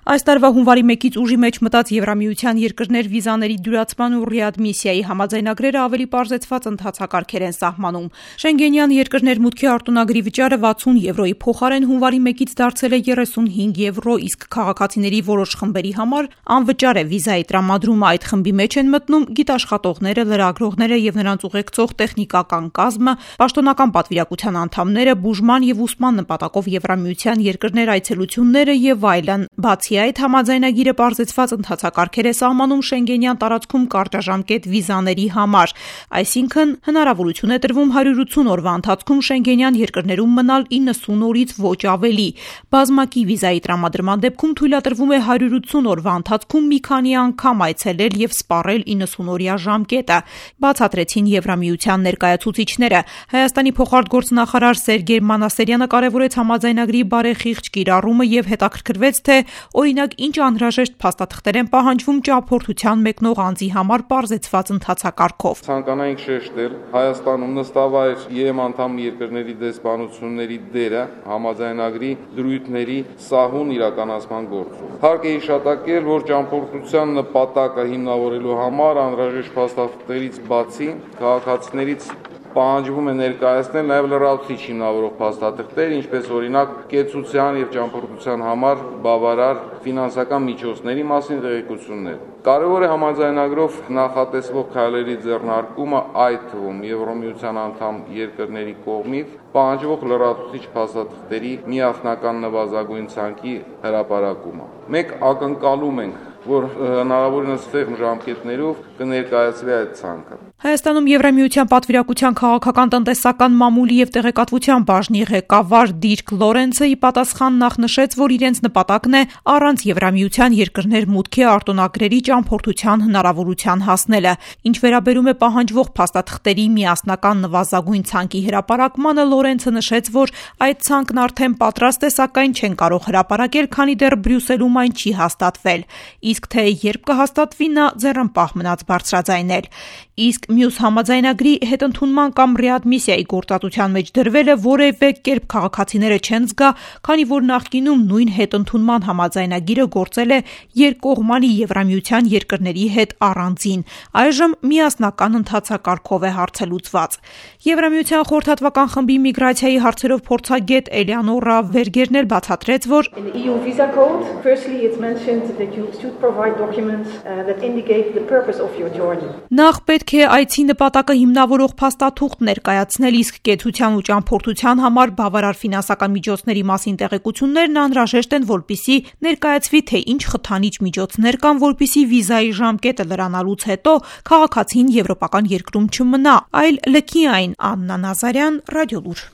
Այս տարվա հունվարի 1-ից ուժի մեջ մտած Եվրամիության երկրներ վիզաների դյուրացման ու ռեադմիսիայի համաձայնագրերը ավելի պարզեցված ընթացակարգեր են սահմանում։ Շենգենյան երկրներ մուտքի արտոնագրի վճարը 60 եվրոյի փոխարեն հունվարի 1-ից դարձել է 35 եվրո, իսկ քաղաքացիների որոշ խմբերի համար անվճար է վիզայի տրամադրումը։ Այդ խմբի մեջ են մտնում գիտաշխատողները, լրագրողները եւ նրանց ուղեկցող տեխնիկական կազմը, պաշտոնական պատվիրակության անդամները, բուժման եւ ուսման նպատակով Եվրամիության երկրներ այցելությունները եւ այլն։ Բացի այդ, համաձայնագիրը պարզեցված ընթացակարգեր է սահմանում Շենգենյան տարածքում կարճաժամկետ վիզաների համար, այսինքն հնարավորություն է տրվում 180 օրվա ընթացքում Շենգենյան երկրներում մնալ 90 օրից ոչ ավելի։ Բազմակի վիզայի տրամադրման դեպքում թույլատրվում է 180 օրվա ընթացքում մի քանի անգամ այցելել եւ սպառել 90-օրյա ժամկետը, բացատրեցին Եվրամիության ներկայացուցիչները։ Հայաստանի փոխարտգործնախարար Սերգեյ Մանասերյանը կարևորեց համաձայնագրի բարեխիղճ կիրառումը եւ հետաքրքրվեց, թե օրինակ ինչ անհրաժեշտ փաստաթղթեր են պահանջվում ճամփորդության մեկնող անձի համար պարզեցված ընթացակարգով։ Ցանկանայինք շեշտել Հայաստանում նստավայր ԵՄ անդամ երկրների դեսպանությունների դերը համաձայնագրի դրույթների սահուն իրականացման գործում։ Հարկ է հիշատակել, որ ճամփորդության նպատակը հիմնավորելու համար անհրաժեշտ փաստաթղթերից բացի քաղաքացիներից պահանջվում է ներկայացնել նաև լրացուցիչ հիմնավորող փաստաթղթեր, ինչպես օրինակ կեցության եւ ճամփորդության համար բավարար ֆինանսական միջոցների մասին տեղեկություններ։ Կարևոր է համաձայնագրով նախատեսվող քայլերի ձեռնարկումը, այդ թվում Եվրամիության անդամ երկրների կողմից պահանջվող լրացուցիչ փաստաթղթերի միասնական նվազագույն ցանկի հրապարակումը։ Մենք ակնկալում ենք, որ հնարավորինս ցեղ ժամկետներով կներկայացվի այդ ցանկը։ Հայաստանում Եվրամիության պատվիրակության քաղաքական տնտեսական մամուլի եւ տեղեկատվության բաժնի ղեկավար Դիրք Լորենցը ի պատասխան նախ նշեց, որ իրենց նպատակն է առանց Եվրամիության երկրներ մուտքի արտոնագրերի ճամփորդության հնարավորության հասնելը։ Ինչ վերաբերում է պահանջվող փաստաթղթերի միասնական նվազագույն ցանկի հրապարակմանը, Լորենցը նշեց, որ այդ ցանկն արդեն պատրաստ է, սակայն չեն կարող հրապարակել, քանի դեռ Բրյուսելում այն չի հաստատվել։ Իսկ թե երբ կհաստատվի, նա ձեռնպահ մնաց բարձրաձայնել։ Իսկ մյուս համաձայնագրի հետընդունման կամ ռեադմիսիայի գործատության մեջ դրվելը որևէ կերպ քաղաքացիները չեն զգա, քանի որ նախկինում նույն հետընդունման համաձայնագիրը գործել է երկկողմանի Եվրամիության երկրների հետ առանձին։ Այժմ միասնական ընթացակարգով է հարցելուծված։ Եվրամիության խորհրդատվական խմբի միգրացիայի հարցերով փորձագետ Էլեանորա Վերգերն էլ բացատրեց, որ նախ պետք է այցի նպատակը հիմնավորող փաստաթուղթ ներկայացնել, իսկ կեցության ու ճամփորդության համար բավարար ֆինանսական միջոցների մասին տեղեկություններն անհրաժեշտ են, որպեսզի ներկայացվի, թե ինչ խթանիչ միջոցներ կան, որպեսզի վիզայի ժամկետը լրանալուց հետո քաղաքացին եվրոպական երկրում չմնա, այլ լքի այն։ Աննա Նազարյան, Ռադիոլուր։